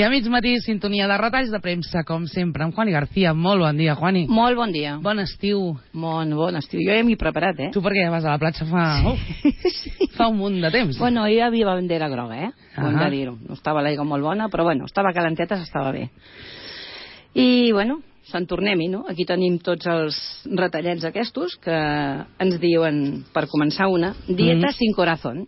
I a mig matí, sintonia de retalls de premsa, com sempre, amb Juani García. Molt bon dia, Juani. Molt bon dia. Bon estiu. Bon estiu. Jo ja m'hi he preparat, Tu per què vas a la platja fa un munt de temps? Bueno, hi havia bandera groga, ho hem de dir-ho. No estava l'aigua molt bona, però bueno, estava calenteta, s'estava bé. I, bueno, se'n tornem-hi, no? Aquí tenim tots els retallets aquests que ens diuen, per començar una, dieta sin corazón.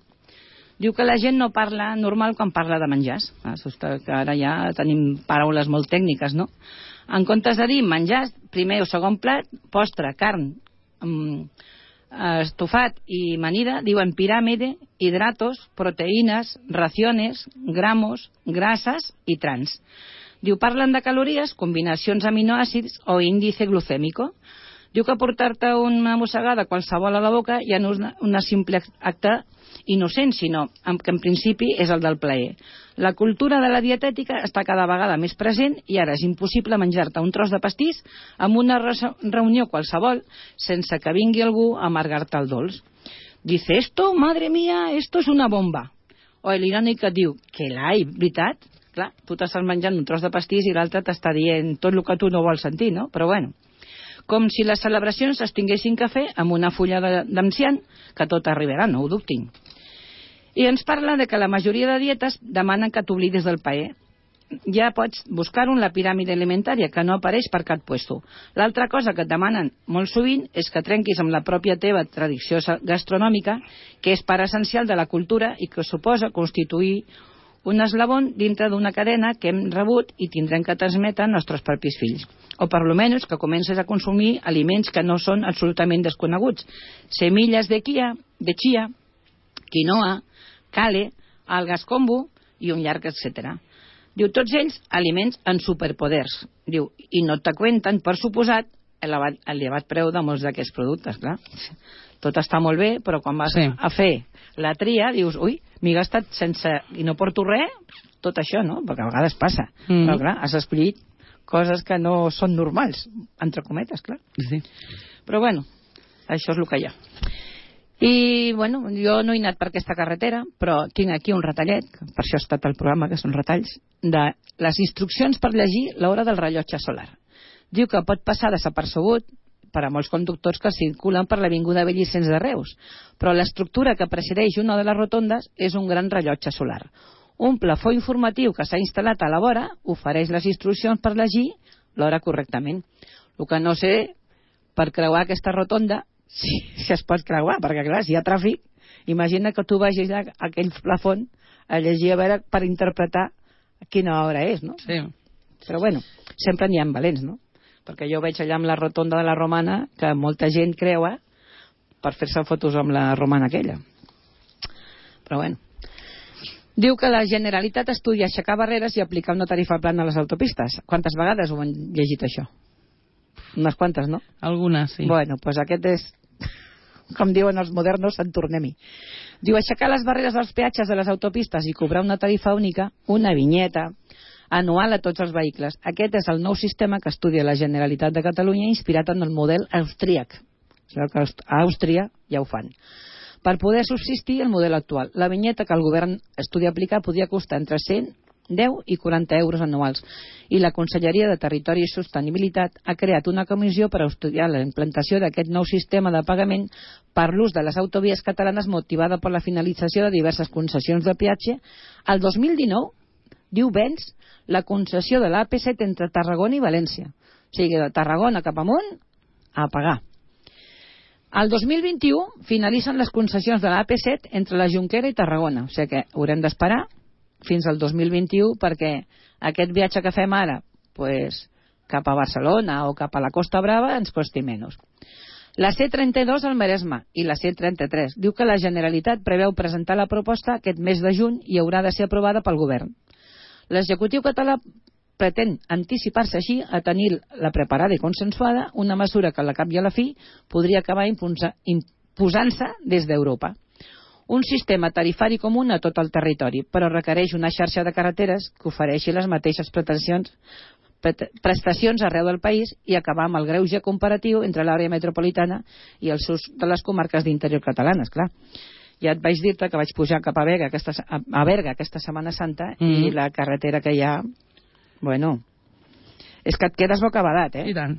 Diu que la gent no parla normal quan parla de menjars. Que ara ja tenim paraules molt tècniques, no? En comptes de dir menjars, primer o segon plat, postre, carn, estofat i amanida, diuen piràmide, hidratos, proteïnes, raciones, gramos, grasses i trans. Diu, parlen de calories, combinacions aminoàcids o índice glucèmico. Diu que portar-te una mossegada qualsevol a la boca ja no és un simple acte innocent, sinó que en principi és el del plaer. La cultura de la dietètica està cada vegada més present i ara és impossible menjar-te un tros de pastís en una reunió qualsevol sense que vingui algú a amargar-te el dolç. Dice, esto, madre mía, esto es una bomba. O l'irònic que et diu, que l'hai, veritat? Clar, tu t'estàs menjant un tros de pastís i l'altre t'està dient tot el que tu no vols sentir, no? Però bueno, com si les celebracions es tinguessin que fer amb una fulla d'enciam, que tot arribarà, no ho dubtin. I ens parla de que la majoria de dietes demanen que t'oblidis del paer. Ja pots buscar-ho en la piràmide alimentària, que no apareix per cap puesto. L'altra cosa que et demanen molt sovint és que trenquis amb la pròpia teva tradició gastronòmica, que és part essencial de la cultura i que suposa constituir un eslabon dintre d'una cadena que hem rebut i tindrem que transmetre als nostres propis fills. O per lo menos que comences a consumir aliments que no són absolutament desconeguts. Semilles de chia, quinoa, cale, algas kombu i un llarg etcètera. Diu, tots ells aliments amb superpoders. Diu, i no te cuenten, per suposat, elevat preu de molts d'aquests productes, clar. Tot està molt bé, però quan vas a fer la tria, dius, ui, m'he gastat sense... i no porto res, tot això, no? Perquè a vegades passa. Però, clar, has escollit coses que no són normals, entre cometes, clar. Sí. Però, bueno, això és el que hi ha. I, bueno, jo no he anat per aquesta carretera, però tinc aquí un retallet, per això ha estat el programa, que són retalls, de les instruccions per llegir l'hora del rellotge solar. Diu que pot passar desapercebut per a molts conductors que circulen per l'Avinguda Bellicens de Reus, però l'estructura que presideix una de les rotondes és un gran rellotge solar. Un plafó informatiu que s'ha instal·lat a la vora ofereix les instruccions per llegir l'hora correctament. El que no sé, per creuar aquesta rotonda, si es pot creuar, perquè clar, si hi ha tràfic, imagina que tu vagis a aquell plafó a llegir a veure per interpretar quina hora és, no? Sí. Però bueno, sempre n'hi ha valents, no? Perquè jo veig allà amb la rotonda de la Romana que molta gent creua per fer-se fotos amb la Romana aquella. Però bueno. Diu que la Generalitat estudia aixecar barreres i aplicar una tarifa plana a les autopistes. Quantes vegades ho han llegit, això? Unes quantes, no? Algunes, sí. Bueno, doncs aquest és, com diuen els modernos, en tornem-hi. Diu, aixecar les barreres dels peatges de les autopistes i cobrar una tarifa única, una vinyeta anual a tots els vehicles. Aquest és el nou sistema que estudia la Generalitat de Catalunya inspirat en el model austríac. A Àustria ja ho fan. Per poder subsistir el model actual. La vinyeta que el govern estudia aplicar podria costar entre 110 i 40 euros anuals. I la Conselleria de Territori i Sostenibilitat ha creat una comissió per estudiar la implantació d'aquest nou sistema de pagament per l'ús de les autovies catalanes motivada per la finalització de diverses concessions de peatge. El 2019, diu Vents, la concessió de l'AP7 entre Tarragona i València. O sigui, de Tarragona cap amunt, a pagar. El 2021 finalitzen les concessions de l'AP7 entre la Jonquera i Tarragona. O sigui que haurem d'esperar fins al 2021 perquè aquest viatge que fem ara cap a Barcelona o cap a la Costa Brava ens costi menys. La C32 al Maresme i la C33 diu que la Generalitat preveu presentar la proposta aquest mes de juny i haurà de ser aprovada pel govern. L'executiu català pretén anticipar-se així a tenir la preparada i consensuada una mesura que al cap i a la fi podria acabar imposant-se des d'Europa. Un sistema tarifari comú a tot el territori, però requereix una xarxa de carreteres que ofereixi les mateixes prestacions arreu del país i acabar amb el greuge comparatiu entre l'àrea metropolitana i els seus de les comarques d'interior catalanes, clar. Ja et vaig dir-te que vaig pujar cap a Berga aquesta Setmana Santa i la carretera que hi ha, bueno, és que et quedes bocabadat, I tant.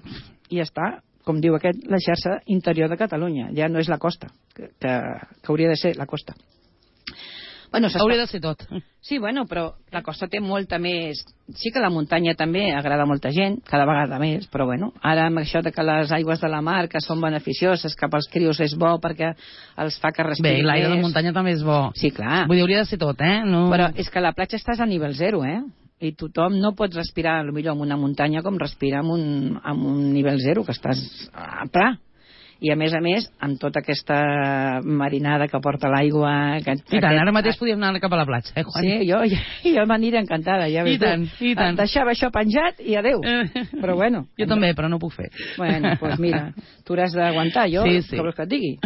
I ja està, com diu aquest, la xarxa interior de Catalunya. Ja no és la costa, que hauria de ser la costa. Bueno, hauria de ser tot. Sí, bueno, però la costa té molta més... Sí que la muntanya també agrada a molta gent, cada vegada més, però bueno, ara amb això de que les aigües de la mar, que són beneficioses, que pels crios és bo perquè els fa que respirin més... Bé, l'aire de muntanya també és bo. Sí, clar. Vull dir, hauria de ser tot, No... Però és que a la platja estàs a nivell zero, I tothom no pots respirar, potser en una muntanya com respirar en un nivell zero, que estàs a pla. I a més, amb tota aquesta marinada que porta l'aigua... I tant, ara mateix podíem anar cap a la platja, Juan? Sí, jo m'aniré encantada, ja veus. I tant. Deixava això penjat i adeu. Però bueno. Jo també, però no ho puc fer. Bueno, doncs mira, tu hauràs d'aguantar, jo, sí. que vols que et digui.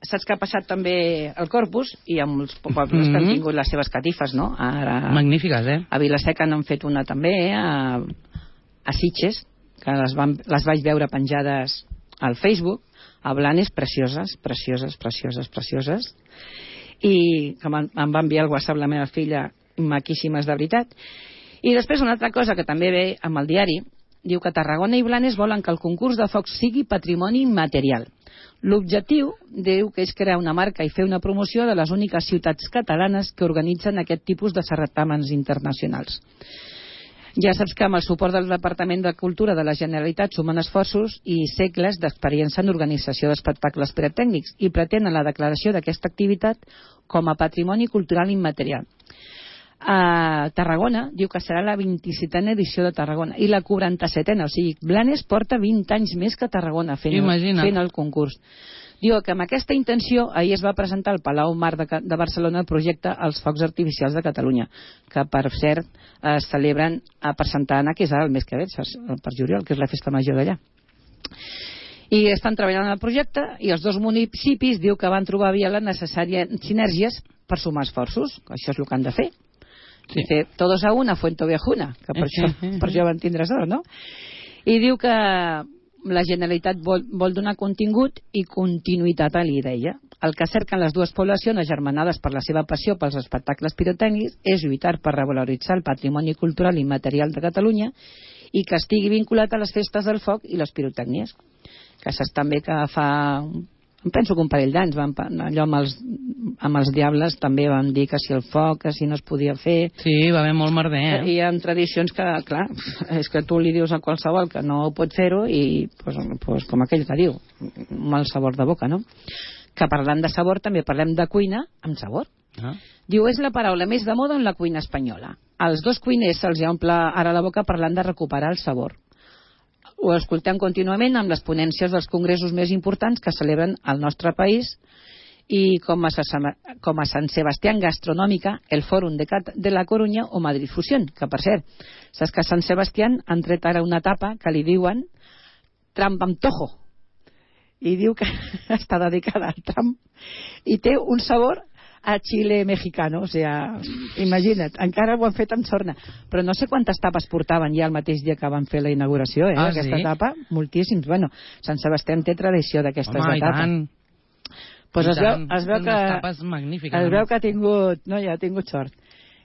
Saps que ha passat també el Corpus i amb els pobles que han tingut les seves catifes, no? Ara, magnífiques, A Vila-seca n'han fet una també, a Sitges, que les vaig veure penjades al Facebook, a Blanes, precioses, i que em va enviar al WhatsApp la meva filla, maquíssimes de veritat. I després una altra cosa que també ve amb el diari, diu que Tarragona i Blanes volen que el concurs de focs sigui patrimoni immaterial. L'objectiu, diu, que és crear una marca i fer una promoció de les úniques ciutats catalanes que organitzen aquest tipus de certàmens internacionals. Ja saps que amb el suport del Departament de Cultura de la Generalitat sumen esforços i segles d'experiència en organització d'espectacles pirotècnics i pretenen la declaració d'aquesta activitat com a patrimoni cultural immaterial. A Tarragona diu que serà la 27a edició de Tarragona i la 47a, o sigui, Blanes porta 20 anys més que Tarragona fent el concurs. Diu que amb aquesta intenció ahir es va presentar al Palau Mar de Barcelona el projecte Els Focs Artificials de Catalunya, que per cert es celebren per Santa Anna, que és ara el mes que ve, per juliol, que és la festa major d'allà. I estan treballant en el projecte i els dos municipis diu que van trobar via les necessàries sinergies per sumar esforços, això és el que han de fer. Sí. Dice, todos a una, fuento viajuna, que per això van tindre sort, no? I diu que la Generalitat vol donar contingut i continuïtat a l'idea. El que cerquen les dues poblacions agermanades per la seva passió pels espectacles pirotècnics és lluitar per revaloritzar el patrimoni cultural i material de Catalunya i que estigui vinculat a les festes del foc i les pirotècnies. Que saps també que fa... Em penso que un parell d'anys allò amb els diables també van dir que si el foc, que si no es podia fer. Sí, va haver molt merder, Hi ha tradicions que, clar, és que tu li dius a qualsevol que no pot fer-ho i, pues, com aquell que diu, un mal sabor de boca, no? Que parlant de sabor també parlem de cuina amb sabor. Diu, és la paraula més de moda en la cuina espanyola. Als dos cuiners se'ls omple ara la boca parlant de recuperar el sabor. Ho escoltem contínuament amb les ponències dels congressos més importants que celebren al nostre país i com a Sant Sebastián Gastronòmica, el Fòrum de la Corunya o Madrid Fusión, que per cert, saps que a Sant Sebastián han tret ara una tapa que li diuen Trump amb tojo i diu que està dedicada al Trump i té un sabor a Chile mexicano, o sea, imagina't, encara ho han fet amb sorna, però no sé quantes tapes portaven ja el mateix dia que van fer la inauguració, aquesta tapa, moltíssims. Bueno, Sant Sebastià té tradició d'aquestes de tapa. Pues es veu que ha tingut sort.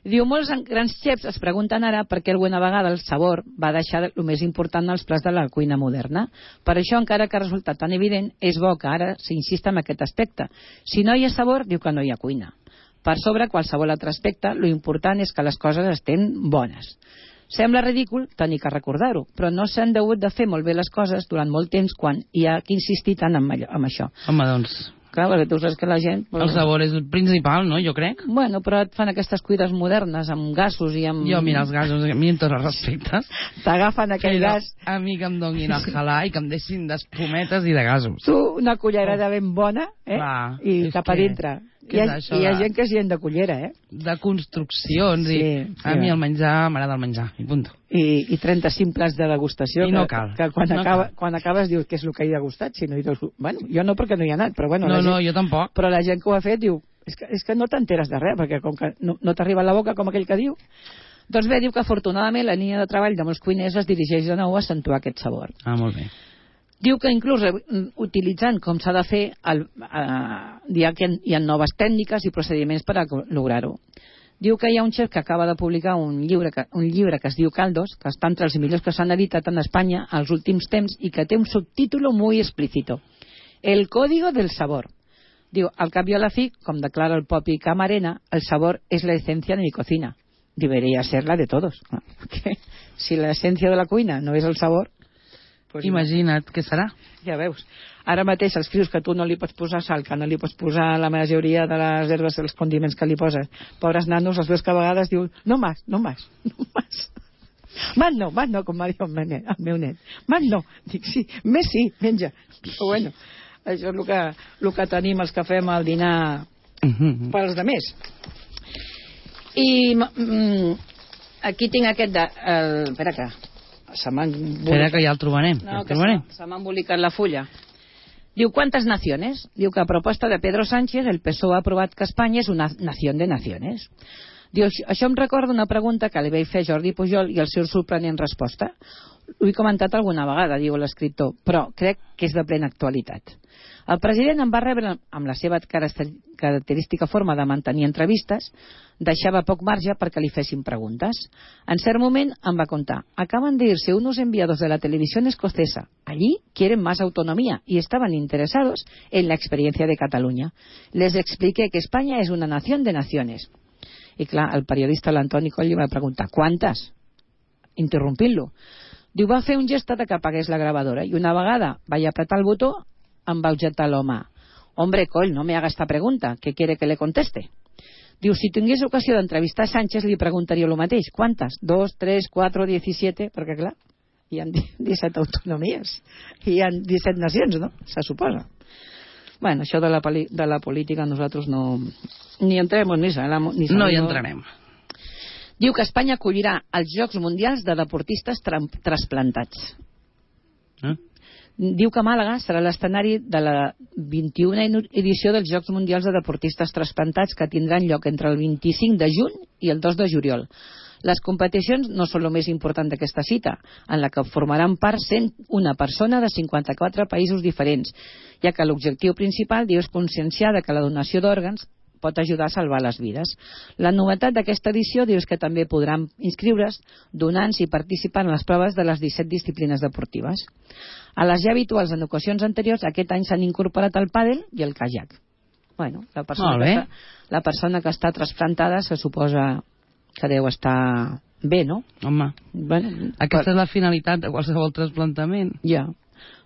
Diu, molts grans xefs es pregunten ara per què alguna vegada el sabor va deixar el més important als plats de la cuina moderna. Per això, encara que ha resultat tan evident, és bo que ara s'insista en aquest aspecte. Si no hi ha sabor, diu que no hi ha cuina. Per sobre qualsevol altre aspecte, lo important és que les coses estén bones. Sembla ridícul tenir que recordar-ho, però no s'han hagut de fer molt bé les coses durant molt temps quan hi ha que insistir tant en això. Home, doncs... Clar, perquè tu saps que la gent... El sabor és el principal, no? Jo crec. Bueno, però et fan aquestes cuides modernes amb gasos i amb... Jo, mira, els gasos, a mi amb tots els respectes. T'agafen aquell gas... A mi que em donin el halà i que em deixin d'espumetes i de gasos. Tu, una cullerada ben bona, i cap a dintre. Hi ha gent que és gent de cullera, de construccions, i a mi el menjar, m'agrada el menjar, i punt. I 35 plats de degustació, i no cal. Que quan acabes dius què és el que he degustat, si no hi dius, bueno, jo no perquè no hi he anat, però bueno... No, jo tampoc. Però la gent que ho ha fet diu, és que no t'enteres de res, perquè com que no t'arriba a la boca com aquell que diu. Doncs bé, diu que afortunadament la línia de treball de molts cuiners es dirigeix de nou a accentuar aquest sabor. Ah, molt bé. Diu que inclús utilitzant com s'ha de fer, hi ha noves tècniques i procediments per a lograr-ho. Diu que hi ha un xef que acaba de publicar un llibre que es diu Caldos, que està entre els millors que s'han editat en Espanya als últims temps i que té un subtítulo muy explícito: El código del sabor. Diu, al cap i a la fi, com declara el propi Camarena, el sabor es la esencia de mi cocina. Debería ser la de todos. Perquè si la esencia de la cuina no és el sabor... Pues imagina't què serà. Ja veus. Ara mateix escrius que tu no li pots posar sal, que no li pots posar la majoria de les herbes i els condiments que li poses. Pobres nanos, els veus que a vegades diuen no más. Más no, com va dir el meu net. Más no. Dic, sí, més sí, menja. Però bueno, això és el que tenim els que fem al dinar pels de més. I aquí tinc aquest espera que ja el trobarem. No, que se m'ha embolicat la fulla. Diu, ¿cuántas naciones? Diu que a proposta de Pedro Sánchez el PSOE ha aprovat que Espanya és una nació de naciones. Diu, això em recorda una pregunta que li vaig fer a Jordi Pujol i el seu sorprenent resposta. Ho he comentat alguna vegada, diu l'escriptor, però crec que és de plena actualitat. El president em va rebre amb la seva característica forma de mantenir entrevistes, deixava poc marge perquè li fessin preguntes. En cert moment em va contar: acaban de irse unos enviados de la televisión escocesa. Allí quieren más autonomía y estaban interesados en la experiencia de Cataluña. Les expliqué que España es una nación de naciones. I clar, el periodista l'Antoni Coll li va preguntar: ¿cuántas? Interrompint-lo. Diu, va fer un gest de que apagués la gravadora i una vegada vaig apretar el botó em va objectar l'home: hombre, Coll, no me haga esta pregunta, ¿qué quiere que le conteste? Diu, si tingués ocasió d'entrevistar Sánchez li preguntaria el mateix: ¿cuántas? 2, 3, 4, 17, perquè clar, hi ha 17 autonomies, hi ha 17 nacions, no? Se suposa. Bueno, això de la política nosaltres no ni entrem ni sabem. No hi entrarem. Diu que Espanya acollirà els Jocs Mundials de Deportistes Trasplantats. Diu que Màlaga serà l'escenari de la 21a edició dels Jocs Mundials de Deportistes Trasplantats, que tindran lloc entre el 25 de juny i el 2 de juliol. Les competicions no són el més important d'aquesta cita, en la que formaran part 101 persona de 54 països diferents, ja que l'objectiu principal, diu, és conscienciar que la donació d'òrgans pot ajudar a salvar les vides. La novetat d'aquesta edició, diu, és que també podran inscriure's donants i participar en les proves de les 17 disciplines deportives. A les ja habituals en ocasions anteriors, aquest any s'han incorporat el pàdel i el kayak. Bueno, la persona que està trasplantada se suposa que deu estar bé, no? Home, bueno, aquesta és la finalitat de qualsevol trasplantament. Ja,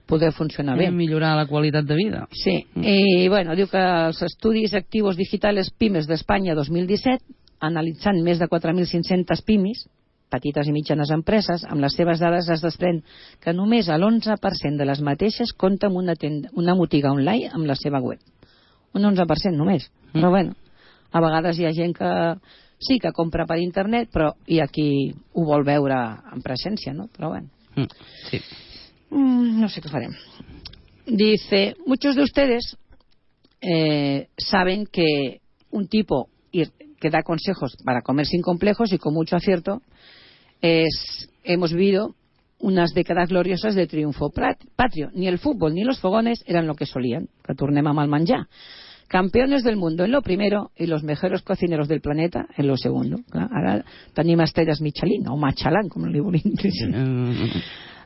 poder funcionar bé. Millorar la qualitat de vida. Sí, i bueno, diu que els estudis activos digitales PIMES d'Espanya 2017, analitzant més de 4.500 PIMES, petites i mitjanes empreses, amb les seves dades es desprèn que només l'11% de les mateixes compta amb una botiga online amb la seva web. Un 11% només. Però bueno, a vegades hi ha gent que sí que compra per internet, però hi ha qui ho vol veure en presència, ¿no? Pero bueno. Sí. No sé qué farem. Dice, muchos de ustedes saben que un tipo que da consejos para comer sin complejos y con mucho acierto hemos vivido unas décadas gloriosas de triunfo patrio. Ni el fútbol ni los fogones eran lo que solían, que tornem amb el menjar. Campeones del mundo en lo primero y los mejores cocineros del planeta en lo segundo. Clar, ara tenim estrelles Michelin o Machalán, com li volien dir.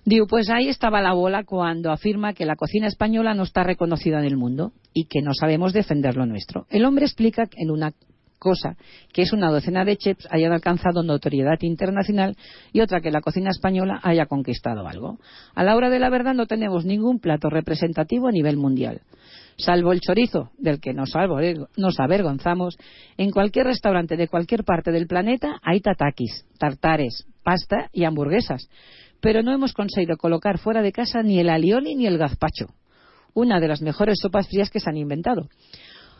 Diu, pues ahí estaba la bola cuando afirma que la cocina española no está reconocida en el mundo y que no sabemos defender lo nuestro. El hombre explica en una cosa que es una docena de chefs hayan alcanzado notoriedad internacional y otra que la cocina española haya conquistado algo. A la hora de la verdad no tenemos ningún plato representativo a nivel mundial. Salvo el chorizo, del que nos avergonzamos, en cualquier restaurante de cualquier parte del planeta hay tatakis, tartares, pasta y hamburguesas. Pero no hemos conseguido colocar fuera de casa ni el alioli ni el gazpacho, una de las mejores sopas frías que se han inventado.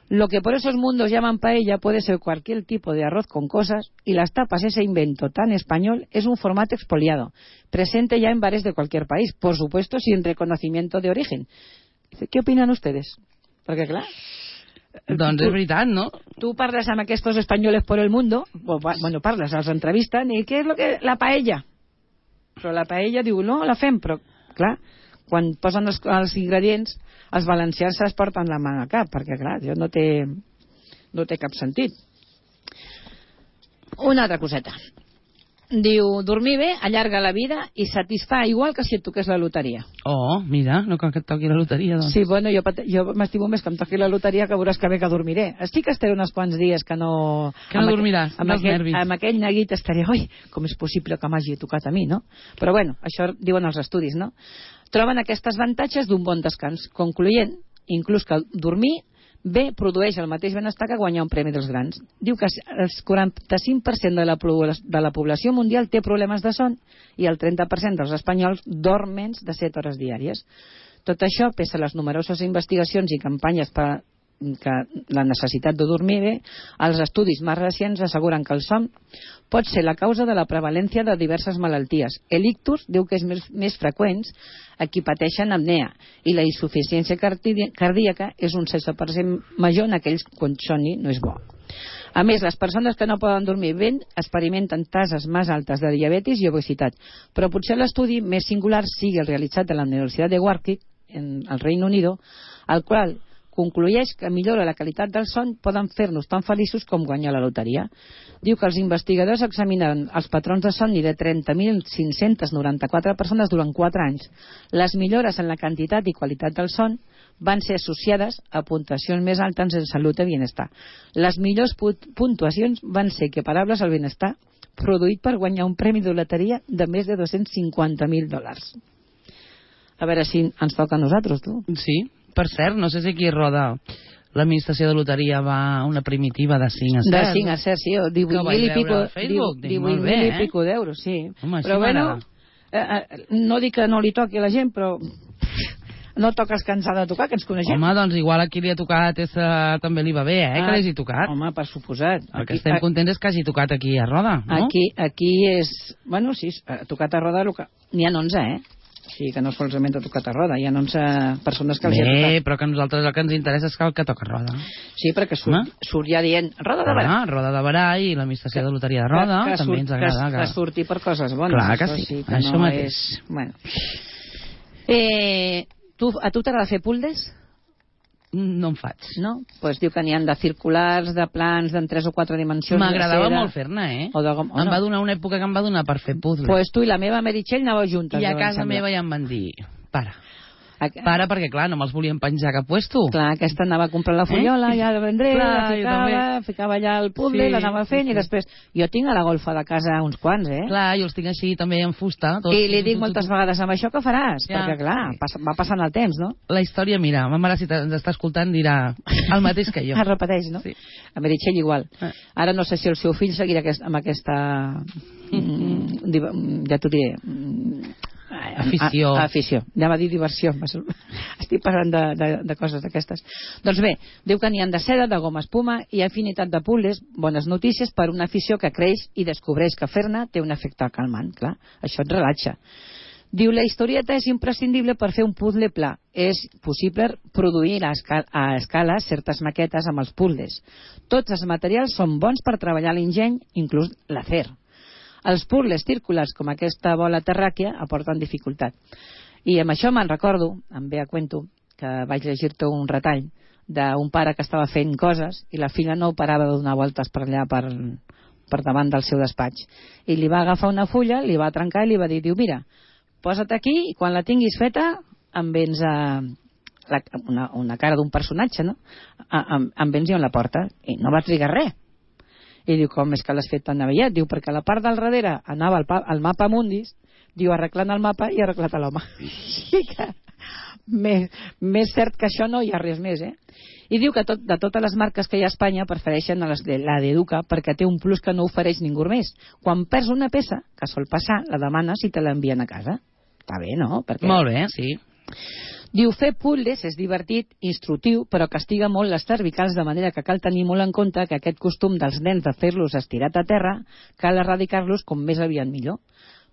Lo que por esos mundos llaman paella puede ser cualquier tipo de arroz con cosas, y las tapas, ese invento tan español, es un formato expoliado, presente ya en bares de cualquier país, por supuesto sin reconocimiento de origen. ¿Qué opinan ustedes? Perquè clar, doncs és veritat, no? Tu parles amb aquests espanyoles por el mundo, bueno, parles, els entrevisten, i què és lo que... La paella. Però la paella diu, no, la fem, però clar, quan posen els ingredients, els valencians se'ls porten la mà al cap, perquè clar, això no té cap sentit. Una altra coseta. Diu, dormir bé allarga la vida i satisfà igual que si et toqués la loteria. Oh, mira, no cal que et toqui la loteria, doncs. Sí, bueno, jo m'estimo més que em toqui la loteria, que veuràs que bé que dormiré. Estic que estaré uns quants dies que no... Que no dormiràs, dels nervis. Amb aquell neguit estaré, oi, com és possible que m'hagi tocat a mi, no? Però bueno, això diuen els estudis, no? Troben aquests avantatges d'un bon descans, concloent inclús que dormir bé produeix el mateix benestar que guanyar un premi dels grans. Diu que el 45% de la població mundial té problemes de son i el 30% dels espanyols dorm menys de 7 hores diàries. Tot això, pese a les numeroses investigacions i campanyes per que la necessitat de dormir bé, els estudis més recents asseguren que el son pot ser la causa de la prevalència de diverses malalties. El ictus diu que és més freqüents a qui pateixen apnea i la insuficiència cardíaca és un 16% major en aquells quan somni no és bo. A més, les persones que no poden dormir bé experimenten tases més altes de diabetis i obesitat, però potser l'estudi més singular sigui el realitzat a la Universitat de Warwick, en el Reino Unido, al qual conclueix que millora la qualitat del son poden fer-nos tan feliços com guanyar la loteria. Diu que els investigadors examinaren els patrons de somni de 30.594 persones durant 4 anys. Les millores en la quantitat i qualitat del son van ser associades a puntuacions més altes en salut i benestar. Les millors puntuacions van ser equiparables al benestar produït per guanyar un premi de loteria de més de $250.000. A veure si ens toca a nosaltres, tu. Sí. Per cert, no sé si aquí roda l'administració de loteria va a una primitiva de 5 a 7. De 5 a 7, sí, 18.000 i pico d'euros, sí. Home, però bueno, no dic que no li toqui a la gent, però no toques que ens ha de tocar, que ens coneixem. Home, doncs igual aquí li ha tocat, també li va bé, que li hagi tocat. Home, per suposat. El que estem contents és que hagi tocat aquí a Roda, no? Aquí és... Bueno, sí, ha tocat a Roda, n'hi ha 11, Sí, que no solament ha tocat a Roda, hi ha 11 persones que els hi ha tocat. Però que a nosaltres el que ens interessa és que el que toca a Roda. Sí, perquè surt ja dient Roda de Barà. Roda de Barà i l'administració de loteria de Roda, també ens agrada. Que surti per coses bones. Clar que sí, això mateix. Bueno. A tu t'agrada fer puldes? No en faig. No? Doncs diu que n'hi ha de circulars, de plans, en 3 o 4 dimensions. M'agradava molt fer-ne, Em va donar una època que em va donar per fer puzzles. Doncs tu i la meva Meritxell anàveu juntes. I a casa meva ja em van dir, para, perquè clar, no me'ls volien penjar a cap puesto. Clar, aquesta anava a comprar la fullola, ja la vendré, la ficava allà al puzzle, l'anava fent i després... Jo tinc a la golfa de casa uns quants, Clar, jo els tinc així també en fusta. I li dic moltes vegades, amb això què faràs? Perquè clar, va passant el temps, no? La història, mira, ma mare si ens està escoltant dirà el mateix que jo. Es repeteix, no? Sí. A Meritxell igual. Ara no sé si el seu fill seguirà amb aquesta... ja t'ho diré... Afició. Ja va dir diversió. Estic parlant de coses d'aquestes. Doncs bé, diu que n'hi ha de seda, de goma espuma i afinitat de puzzles. Bones notícies per una afició que creix i descobreix que fer-ne té un efecte calmant. Clar, això et relaxa. Diu, la historieta és imprescindible per fer un puzzle pla. És possible produir a escala certes maquetes amb els puzzles. Tots els materials són bons per treballar l'enginy, inclús l'acer. Els puzzles círculars, com aquesta bola terràquea, aporten dificultat. I amb això me'n recordo, em ve a cuento, que vaig llegir-te un retall d'un pare que estava fent coses i la filla no parava de donar voltes per allà, per davant del seu despatx. I li va agafar una fulla, li va trencar i li va dir, mira, posa't aquí i quan la tinguis feta em vens una cara d'un personatge, no? Em vens i on la porta. I no va trigar res. I diu, com és que l'has fet tan aviat? Diu, perquè la part del darrere anava al mapa mundis, diu, arreglant el mapa i arreglat l'home. Sí que més cert que això no hi ha res més, I diu que de totes les marques que hi ha a Espanya prefereixen la d'Educa perquè té un plus que no ofereix ningú més. Quan perds una peça, que sol passar, la demanes i te l'envien a casa. Està bé, no? Molt bé, sí. Diu, fer puzzles és divertit, instructiu, però castiga molt les cervicals, de manera que cal tenir molt en compte que aquest costum dels nens de fer-los estirat a terra cal erradicar-los com més aviat millor.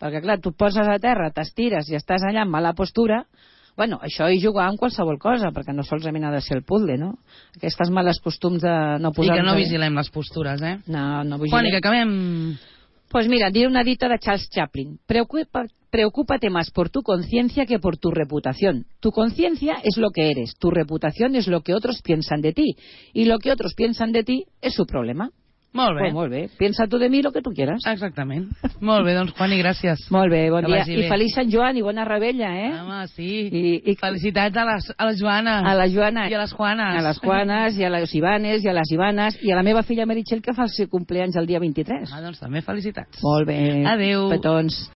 Perquè, clar, tu et poses a terra, t'estires i estàs allà en mala postura, bueno, això i jugar amb qualsevol cosa, perquè no solament ha de ser el puzzle, no? Aquestes males costums de no posar... I que no vigilem les postures, No vigilem. Quan i que acabem... Pues mira, diré una dita de Charles Chaplin. Preocúpate más por tu conciencia que por tu reputación. Tu conciencia es lo que eres, tu reputación es lo que otros piensan de ti. Y lo que otros piensan de ti es su problema. Molt bé. Pues molt bé. Piensa tu de mi lo que tu quieras. Exactament. Molt bé, doncs, Juani, gràcies. Molt bé, bon Que dia. vagi I bé. feliç Sant Joan i bona rebella, eh? Home, sí. I Felicitats a la Joana. a la Joana. I a les Juanes. A les Juanes, i a les Ivanes, i a les Ivanes, i a la meva filla Meritxell, que fa el seu cumpleaños el dia 23. Doncs també felicitats. Molt bé. Adéu. Petons.